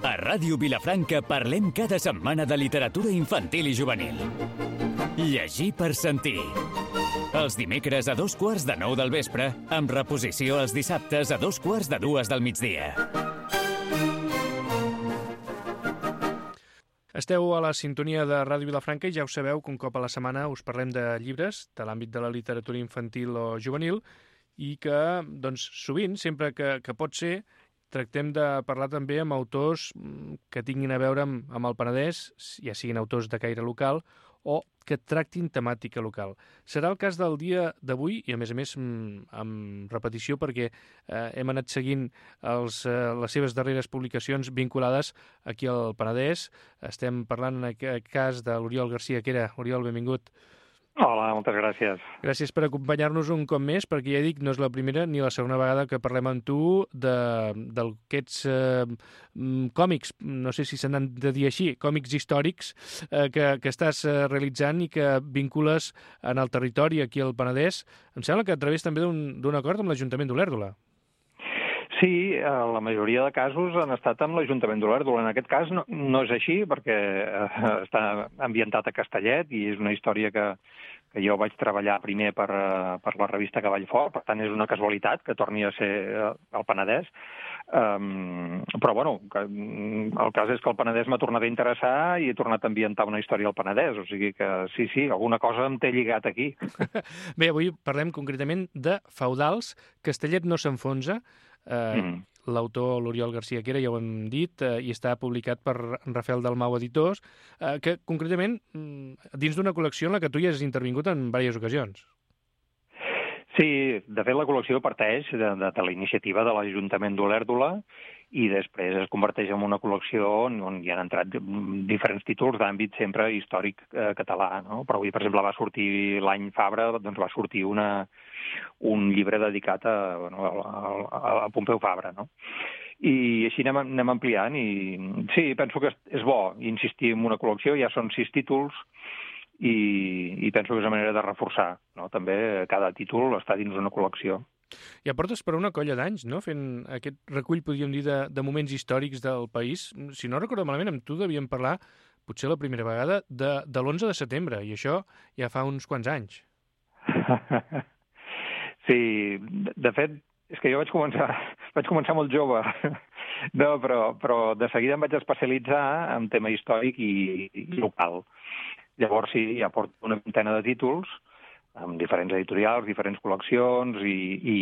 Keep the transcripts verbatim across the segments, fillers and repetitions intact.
A Ràdio Vilafranca parlem cada setmana de literatura infantil i juvenil. Llegir per sentir. Els dimecres a dos quarts de nou del vespre, amb reposició els dissabtes a dos quarts de dues del migdia. Esteu a la sintonia de Ràdio Vilafranca i ja ho sabeu que un cop a la setmana us parlem de llibres de l'àmbit de la literatura infantil o juvenil i que, doncs, sovint, sempre que, que pot ser, tractem de parlar també amb autors que tinguin a veure amb, amb el Penedès, ja siguin autors de caire local o que tractin temàtica local. Serà el cas del dia d'avui i, a més a més, amb repetició perquè eh, hem anat seguint els, eh, les seves darreres publicacions vinculades aquí al Penedès. Estem parlant en aquest cas de l'Oriol Garcia Quera. Oriol, benvingut. Hola, moltes gràcies. Gràcies per acompanyar-nos un cop més, perquè ja dic, no és la primera ni la segona vegada que parlem amb tu d'aquests eh, còmics, no sé si se n'han de dir així, còmics històrics eh, que, que estàs eh, realitzant i que vincules en el territori aquí al Penedès. Em sembla que a través també d'un acord amb l'Ajuntament d'Olèrdola. Sí, la majoria de casos han estat amb l'Ajuntament d'Olèrdola. En aquest cas no, no és així, perquè està ambientat a Castellet i és una història que, que jo vaig treballar primer per, per la revista Cavall Fort, per tant és una casualitat que torni a ser al Penedès. Um, però, bueno, que, el cas és que el Penedès m'ha tornat a interessar i he tornat a ambientar una història al Penedès, o sigui que sí, sí, alguna cosa em té lligat aquí. Bé, avui parlem concretament de Feudals. Castellet no s'enfonsa. Uh, mm. L'autor, l'Oriol Garcia Quera, ja ho hem dit, uh, i està publicat per Rafael Dalmau Editors, uh, que concretament dins d'una col·lecció en la que tu ja has intervingut en diverses ocasions. Sí, de fet la col·lecció parteix de, de, de la iniciativa de l'Ajuntament d'Olèrdola i després es converteix en una col·lecció on, on hi han entrat diferents títols d'àmbit sempre històric eh, català, no? Però avui, per exemple, va sortir l'any Fabra, doncs va sortir una, un llibre dedicat a, bueno, a, a, a Pompeu Fabra, no? I així anem, anem ampliant i sí, penso que és bo insistir en una col·lecció, ja són sis títols, i, i penso que és una manera de reforçar, no? També cada títol està dins d'una col·lecció. Ja portes per una colla d'anys, no?, fent aquest recull, podríem dir, de, de moments històrics del país. Si no recordo malament, amb tu devíem parlar, potser la primera vegada, de, de l'onze de setembre, i això ja fa uns quants anys. Sí, de fet, és que jo vaig començar, vaig començar molt jove, no, però, però de seguida em vaig especialitzar en tema històric i, i local. Llavors sí, ja porto una vintena de títols, amb diferents editorials, diferents col·leccions, i, i,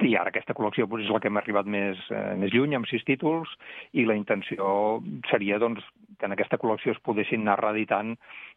i ara aquesta col·lecció doncs, és la que hem arribat més, eh, més lluny, amb sis títols, i la intenció seria doncs, que en aquesta col·lecció es poguessin anar reeditant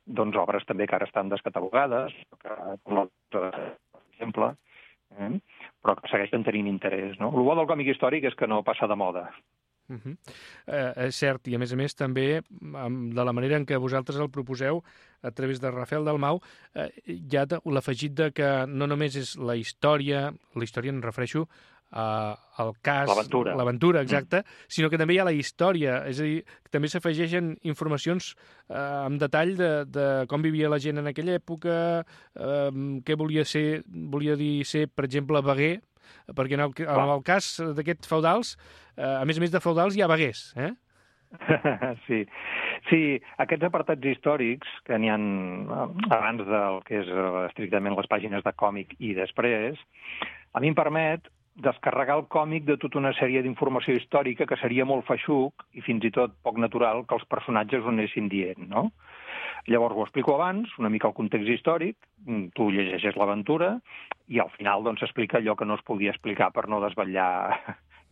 doncs, obres també que ara estan descatalogades, que, per exemple, eh? però que segueixen tenint interès. No? El bo del còmic històric és que no passa de moda. Uh -huh. eh, és cert, i a més a més també de la manera en què vosaltres el proposeu a través de Rafael Dalmau eh, hi ha l'afegit de que no només és la història, la història em refereixo eh, al cas, l'aventura, l'aventura exacta, mm. sinó que també hi ha la història, és a dir, que també s'afegeixen informacions eh, en detall de, de com vivia la gent en aquella època, eh, què volia ser, volia dir ser, per exemple, veguer, perquè en el, en el cas d'aquests feudals, eh, a més a més de feudals, hi ha veguers, eh? Sí. Sí, aquests apartats històrics, que n'hi ha abans del que és estrictament les pàgines de còmic i després, a mi em permet descarregar el còmic de tota una sèrie d'informació històrica que seria molt feixuc i fins i tot poc natural que els personatges ho anessin dient, no? Llavors ho explico abans, una mica el context històric, tu llegeixes l'aventura i al final doncs s'explica allò que no es podia explicar per no desvetllar,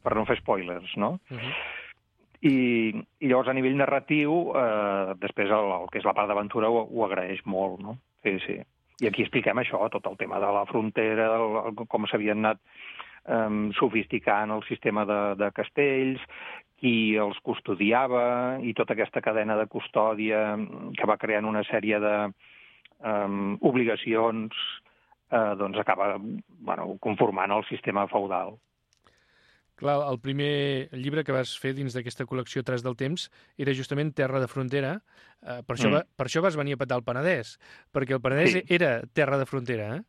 per no fer spoilers, no? Uh-huh. I, I llavors a nivell narratiu, eh, després el, el que és la part d'aventura ho, ho agraeix molt, no? Sí, sí. I aquí expliquem això, tot el tema de la frontera, el, el, com s'havien anat eh, sofisticant el sistema de, de castells, qui els custodiava i tota aquesta cadena de custòdia que va creant una sèrie de um, obligacions eh, doncs acaba bueno, conformant el sistema feudal. Clar, el primer llibre que vas fer dins d'aquesta col·lecció Tras del temps era justament Terra de frontera. Eh, per, això mm. va, per això vas venir a petar el Penedès, perquè el Penedès sí. era terra de frontera, eh?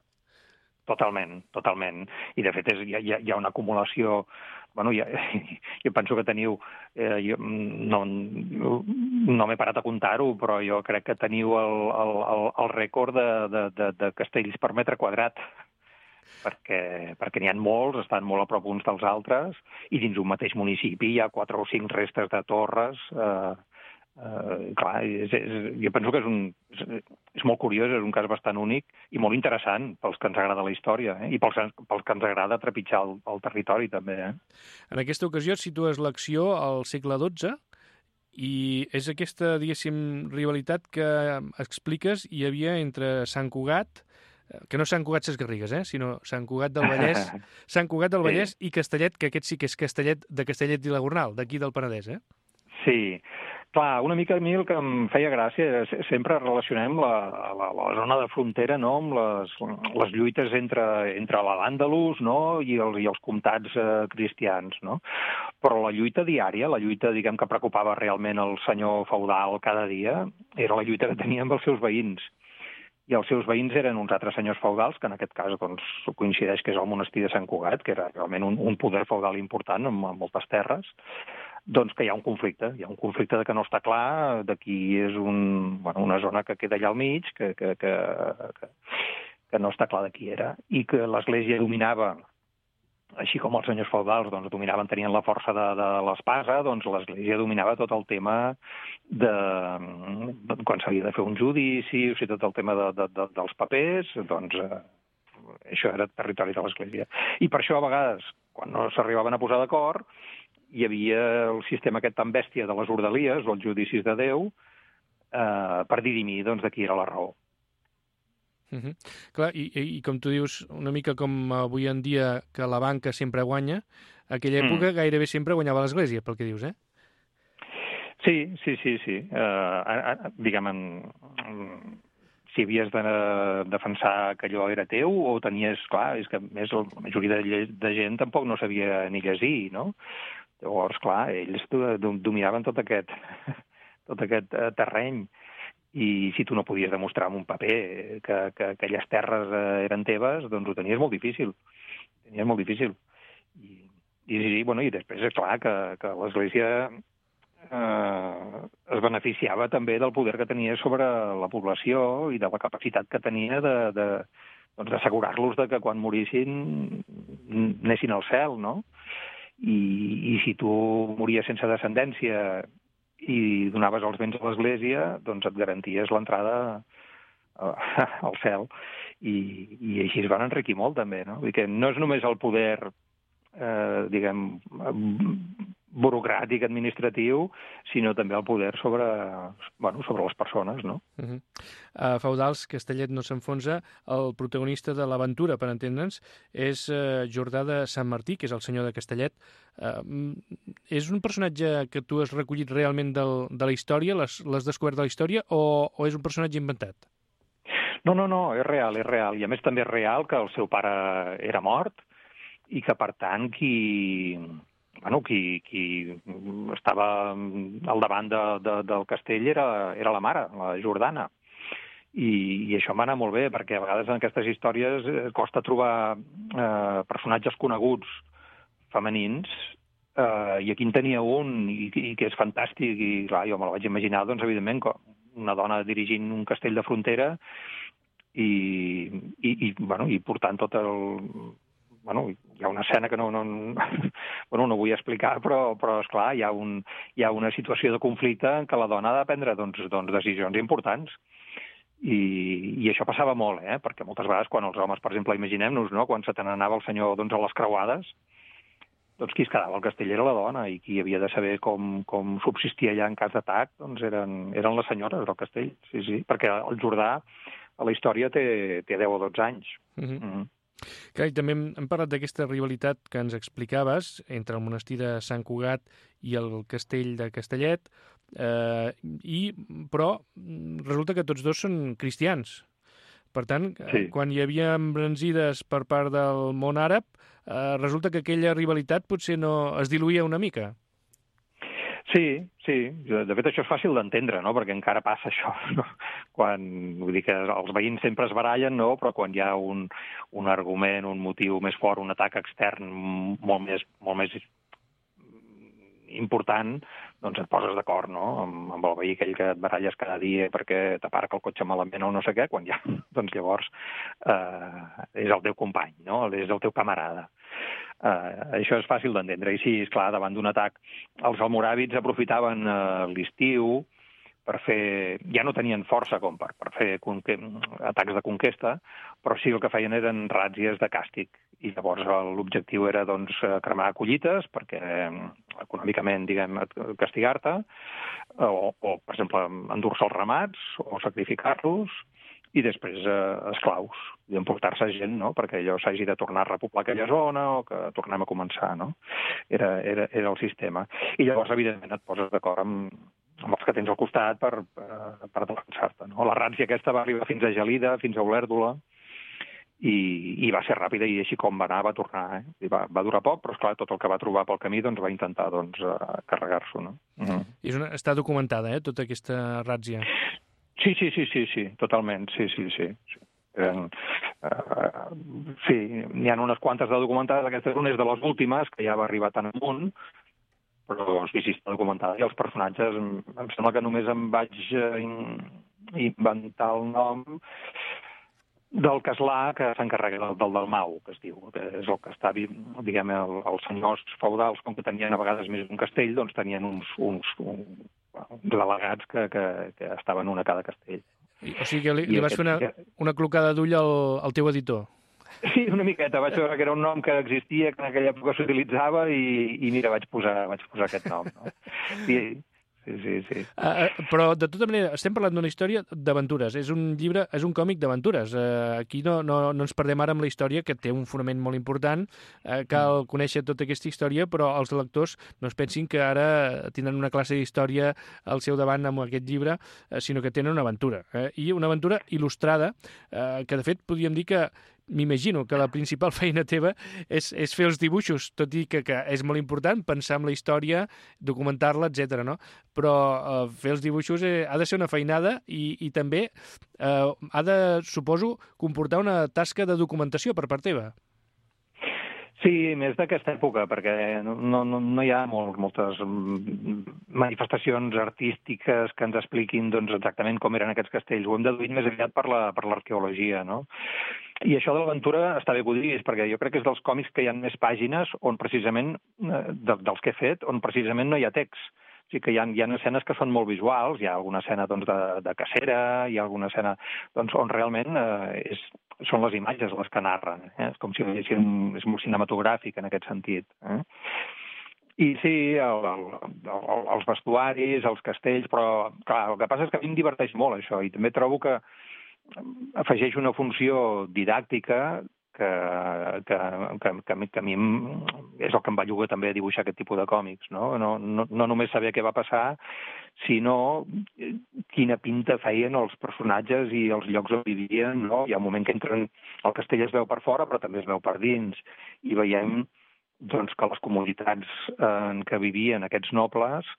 totalment, totalment. I, de fet, és, hi, ha, hi ha una acumulació... Bueno, ja, jo penso que teniu... Eh, jo no no m'he parat a comptar-ho, però jo crec que teniu el, el, el, el rècord de, de, de, de castells per metre quadrat, perquè, perquè n'hi ha molts, estan molt a prop uns dels altres, i dins un mateix municipi hi ha quatre o cinc restes de torres... Eh, Uh, clar, és, és, jo penso que és, un, és, és molt curiós, és un cas bastant únic i molt interessant pels que ens agrada la història, eh? I pels, pels que ens agrada trepitjar el, el territori, també. Eh? En aquesta ocasió situes l'acció al segle dotze i és aquesta, diguéssim, rivalitat que expliques hi havia entre Sant Cugat, que no Sant Cugat Ses Garrigues, eh? sinó Sant Cugat del Vallès, Sant Cugat del Vallès sí. i Castellet, que aquest sí que és Castellet de Castellet i la Gornal, d'aquí del Penedès, eh? Sí. Clar, una mica a mi el que em feia gràcia és sempre relacionem la, la, la zona de frontera, no?, amb les, les lluites entre, entre l'Àndalus, no?, i els, i els comtats eh, cristians, no? Però la lluita diària, la lluita, diguem, que preocupava realment el senyor feudal cada dia, era la lluita que tenia amb els seus veïns. I els seus veïns eren uns altres senyors feudals, que en aquest cas doncs, coincideix que és el monestir de Sant Cugat, que era realment un, un poder feudal important amb, amb moltes terres, doncs que hi ha un conflicte, hi ha un conflicte de que no està clar, de qui és un, bueno, una zona que queda allà al mig, que, que, que, que, que no està clar de qui era, i que l'Església dominava, així com els senyors feudals doncs, dominaven, tenien la força de, de l'espasa, doncs l'Església dominava tot el tema de, de quan s'havia de fer un judici, o sigui, tot el tema de, de, de, dels papers, doncs eh, això era territori de l'Església. I per això, a vegades, quan no s'arribaven a posar d'acord, hi havia el sistema aquest tan bèstia de les ordalies, o els judicis de Déu, eh, per dirimir doncs, de qui era la raó. Uh -huh. Clar, i, i com tu dius, una mica com avui en dia que la banca sempre guanya, aquella època mm. gairebé sempre guanyava l'Església, pel que dius, eh? Sí, sí, sí, sí. Uh, diguem, en, en, si havies de defensar que allò era teu o tenies, clar, és que més la majoria de, de gent tampoc no sabia ni llegir, no? Llavors, clar, ells dominaven tot aquest, tot aquest terreny i si tu no podies demostrar amb un paper que, que aquelles terres eren teves, doncs ho tenies molt difícil. Ho tenies molt difícil. I, i, sí, bueno, i després és clar que, que l'Església eh, es beneficiava també del poder que tenia sobre la població i de la capacitat que tenia de, de, doncs d'assegurar-los de que quan morissin anessin al cel, no? I, i si tu mories sense descendència i donaves els béns a l'Església, doncs et garanties l'entrada al cel. I, i així es van enriquir molt, també, no? Vull dir que no és només el poder, eh, diguem, burocràtic, administratiu, sinó també el poder sobre, bueno, sobre les persones, no? Uh -huh. A Feudals, Castellet no s'enfonsa, el protagonista de l'aventura, per entendre'ns, és uh, Jordà de Sant Martí, que és el senyor de Castellet. Uh, és un personatge que tu has recollit realment del, de la història, l'has descobert de la història, o, o és un personatge inventat? No, no, no, és real, és real. I a més també és real que el seu pare era mort i que, per tant, qui... Bueno, qui, qui estava al davant de, de, del castell era, era la mare, la Jordana. I, I això em va anar molt bé, perquè a vegades en aquestes històries costa trobar eh, personatges coneguts femenins, eh, i aquí en tenia un, i, i que és fantàstic, i clar, jo me la vaig imaginar, doncs, evidentment, com una dona dirigint un castell de frontera i, i, i, bueno, i portant tot el... Bueno, hi ha una escena que no, no, bueno, no vull explicar, però, però esclar, hi ha, un, hi ha una situació de conflicte en què la dona ha de prendre doncs, doncs, decisions importants. I, I això passava molt, eh? Perquè moltes vegades quan els homes, per exemple, imaginem-nos, no? Quan se te n'anava el senyor doncs, a les creuades, doncs qui es quedava al castell era la dona, i qui havia de saber com, com subsistia allà en cas d'atac doncs eren, eren les senyores del castell, sí, sí, perquè el Jordà a la història té, té deu o dotze anys. Mm-hmm. Mm-hmm. Clar, i també hem, hem parlat d'aquesta rivalitat que ens explicaves entre el monestir de Sant Cugat i el castell de Castellet, eh, i, però resulta que tots dos són cristians. Per tant, sí. Quan hi havia embranzides per part del món àrab, eh, resulta que aquella rivalitat potser no es diluïa una mica. Sí, sí. De fet, això és fàcil d'entendre, no? Perquè encara passa això, no? Quan, vull dir que els veïns sempre es barallen, no? Però quan hi ha un, un argument, un motiu més fort, un atac extern molt més, molt més important, doncs et poses d'acord, no? Amb, amb el veí aquell que et baralles cada dia perquè t'aparca el cotxe malament o no sé què, quan ja, doncs llavors eh, és el teu company, no? És el teu camarada. Uh, això és fàcil d'entendre. I sí, esclar, davant d'un atac, els almoràvits aprofitaven uh, l'estiu per fer... Ja no tenien força com per, per fer conque... atacs de conquesta, però sí el que feien eren ràtzies de càstig. I llavors l'objectiu era doncs, cremar collites perquè econòmicament, diguem, castigar-te, o, o, per exemple, endur-se els ramats o sacrificar-los, i després eh, esclaus, i emportar-se gent, no?, perquè allò s'hagi de tornar a repoblar aquella zona o que tornem a començar, no? Era, era, era el sistema. I llavors, evidentment, et poses d'acord amb, amb els que tens al costat per, per, per defensar-te, no? La ràtzia aquesta va arribar fins a Gelida, fins a Olèrdola, i, i va ser ràpida, i així com va anar, va tornar. Eh? I va, va durar poc, però, esclar, tot el que va trobar pel camí doncs, va intentar doncs, carregar-s'ho, no? Mm. I és una, està documentada, eh?, tota aquesta ràtzia. Sí, sí, sí, sí, sí, totalment, sí, sí, sí. sí. Eren, uh, sí, n'hi ha unes quantes de documentades, aquesta és una és de les últimes, que ja va arribar tan amunt, però sí, sí, està documentada. I els personatges, em, em sembla que només em vaig uh, in, inventar el nom del caslà que s'encarrega del, del Dalmau, que es diu, que és el que està, diguem, el, els senyors feudals, com que tenien a vegades més d'un castell, doncs tenien uns, uns, uns delegats que, que, que estaven un a cada castell. O sigui que li, li vas fer una, una clocada d'ull al, al teu editor. Sí, una miqueta. Vaig veure que era un nom que existia, que en aquella època s'utilitzava, i, i mira, vaig posar, vaig posar aquest nom. No? I, sí, sí, sí. Uh, però, de tota manera, estem parlant d'una història d'aventures. És un llibre, és un còmic d'aventures. Uh, aquí no, no, no ens perdem ara amb la història, que té un fonament molt important. Uh, cal conèixer tota aquesta història, però els lectors no es pensin que ara tenen una classe d'història al seu davant amb aquest llibre, uh, sinó que tenen una aventura. Uh, I una aventura il·lustrada, uh, que, de fet, podríem dir que m'imagino que la principal feina teva és, és fer els dibuixos, tot i que, que és molt important pensar en la història, documentar-la, etcètera, no? Però eh, fer els dibuixos eh, ha de ser una feinada i, i també eh, ha de, suposo, comportar una tasca de documentació per part teva. Sí, més d'aquesta època, perquè no, no, no hi ha molt, moltes manifestacions artístiques que ens expliquin doncs, exactament com eren aquests castells. Ho hem deduït més aviat per la, per l'arqueologia, no? I això de l'aventura està bé que ho diguis, perquè jo crec que és dels còmics que hi ha més pàgines on precisament, de, dels que he fet, on precisament no hi ha text. O sigui que hi ha, hi ha escenes que són molt visuals, hi ha alguna escena doncs, de, de cacera, hi ha alguna escena doncs, on realment eh, és, són les imatges les que narren. Eh? És com si veiessin, és molt cinematogràfic en aquest sentit. Eh? I sí, el, el, el, els vestuaris, els castells, però clar, el que passa és que a mi em diverteix molt això, i també trobo que afegeix una funció didàctica que, que, que, que, que a mi és el que em va llogar també a dibuixar aquest tipus de còmics, no? No, no, no només saber què va passar, sinó quina pinta feien els personatges i els llocs on vivien, no? Hi ha un moment que entren, el castell es veu per fora, però també es veu per dins, i veiem doncs, que les comunitats en què vivien aquests nobles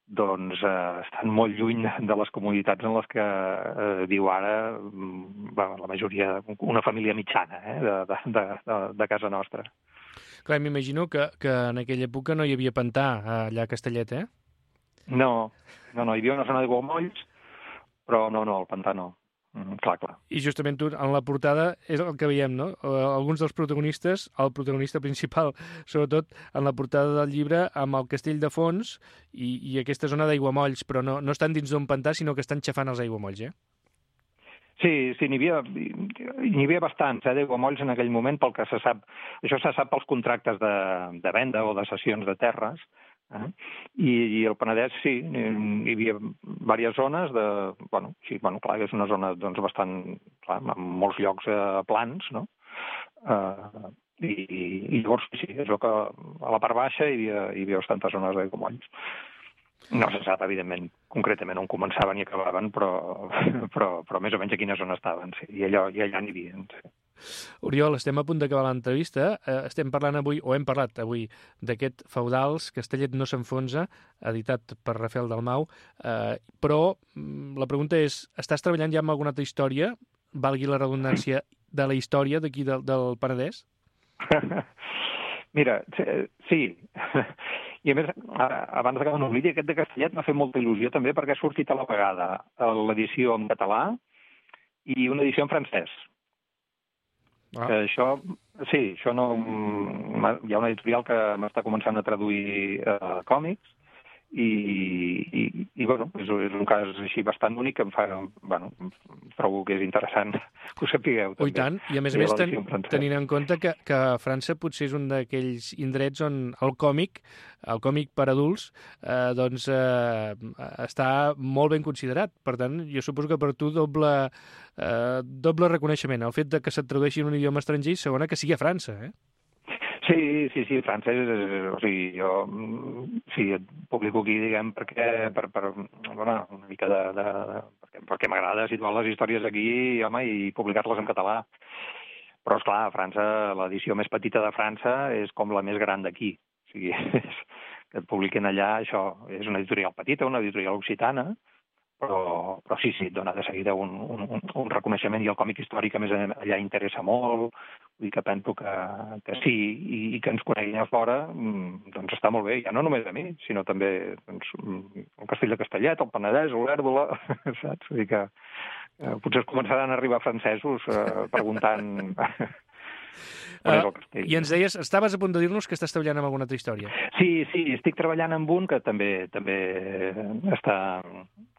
doncs eh, estan molt lluny de les comunitats en les que eh, viu ara bueno, la majoria, una família mitjana eh, de, de, de, de casa nostra. Clar, m'imagino que, que en aquella època no hi havia pantà allà a Castellet, eh? No, no, no, hi havia una zona d'aiguamolls, però no, no, el pantà no. Mm, clar, clar. I justament tu, en la portada, és el que veiem, no? Alguns dels protagonistes, el protagonista principal, sobretot en la portada del llibre, amb el castell de fons i, i aquesta zona d'aiguamolls, però no, no estan dins d'un pantà, sinó que estan xafant els aiguamolls, eh? Sí, sí, n'hi havia, n'hi havia bastants, eh, d'aiguamolls en aquell moment, pel que se sap. Això se sap pels contractes de, de venda o de cessions de terres, Eh? I, I el Penedès, sí, hi havia diverses zones de... Bueno, sí, bueno, clar, és una zona doncs, bastant... Clar, amb molts llocs eh, plans, no? Eh, i, I llavors, sí, és el que a la part baixa hi havia, hi havia bastantes zones d'aiguamolls. No se sap, evidentment, concretament on començaven i acabaven, però, però, però més o menys a quina zona estaven, sí, i, allò, i allà n'hi havia. Sí. Oriol, estem a punt d'acabar l'entrevista. Eh, estem parlant avui, o hem parlat avui, d'aquest Feudals, Castellet no s'enfonsa, editat per Rafael Dalmau, eh, però la pregunta és, estàs treballant ja amb alguna altra història, valgui la redundància, de la història d'aquí del, del Penedès? Mira, sí. I a més, abans que no oblidi, aquest de Castellet m'ha fet molta il·lusió també perquè ha sortit a la vegada l'edició en català i una edició en francès. Ah. Això, sí, això no... Hi ha una editorial que m'està començant a traduir eh, còmics i, i, i bueno, és, és un cas així bastant únic que em fa... Bueno, trobo que és interessant que ho sapigueu. Oh, i tant, i a més a més ten, tenint en compte que, que França potser és un d'aquells indrets on el còmic, el còmic per adults, eh, doncs eh, està molt ben considerat. Per tant, jo suposo que per tu doble, eh, doble reconeixement. El fet de que se't tradueixi en un idioma estranger i segona que sigui a França, eh? Sí, sí, sí, francès, o sigui, jo sí, et publico aquí, diguem, perquè, per, per bueno, una mica de... de, de perquè perquè m'agrada situar les històries aquí, home, i publicar-les en català. Però, esclar, a França, l'edició més petita de França és com la més gran d'aquí. O sigui, és, que et publiquen allà, això, és una editorial petita, una editorial occitana, però, però sí, sí, et dona de seguida un, un, un reconeixement, i el còmic històric a més allà interessa molt, vull dir que penso que, que sí, i, i que ens coneguin a fora, doncs està molt bé, ja no només a mi, sinó també doncs, el Castell de Castellet, el Penedès, l'Olèrdola, saps? Vull dir que eh, potser es començaran a arribar francesos eh, preguntant... Uh, I ens deies, estaves a punt de dir-nos que estàs treballant amb alguna altra història. Sí, sí, estic treballant amb un que també també està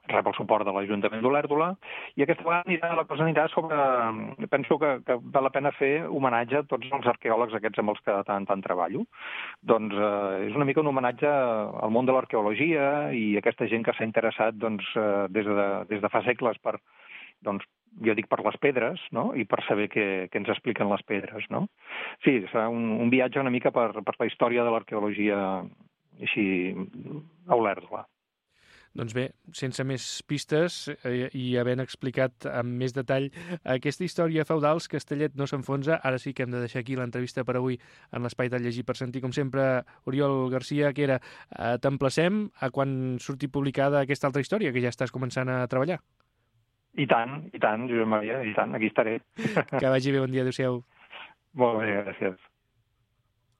rep el suport de l'Ajuntament d'Olèrdola, i aquesta vegada anirà, la cosa anirà sobre... Penso que, que val la pena fer homenatge a tots els arqueòlegs aquests amb els que tant, tant treballo. Doncs eh, és una mica un homenatge al món de l'arqueologia i aquesta gent que s'ha interessat doncs, eh, des, de, des de fa segles per... Doncs, jo dic per les pedres, no? I per saber què, què ens expliquen les pedres, no? Sí, serà un, un viatge una mica per, per la història de l'arqueologia així a Olèrdola. Doncs bé, sense més pistes eh, i havent explicat amb més detall aquesta història Feudals, Castellet no s'enfonsa, ara sí que hem de deixar aquí l'entrevista per avui en l'Espai de Llegir per Sentir. Com sempre, Oriol Garcia, que era, eh, t'emplacem a quan surti publicada aquesta altra història, que ja estàs començant a treballar. I tant, i tant, Josep Maria, i tant, aquí estaré. Que vagi bé, bon dia, adéu-siau. Molt bé, gràcies.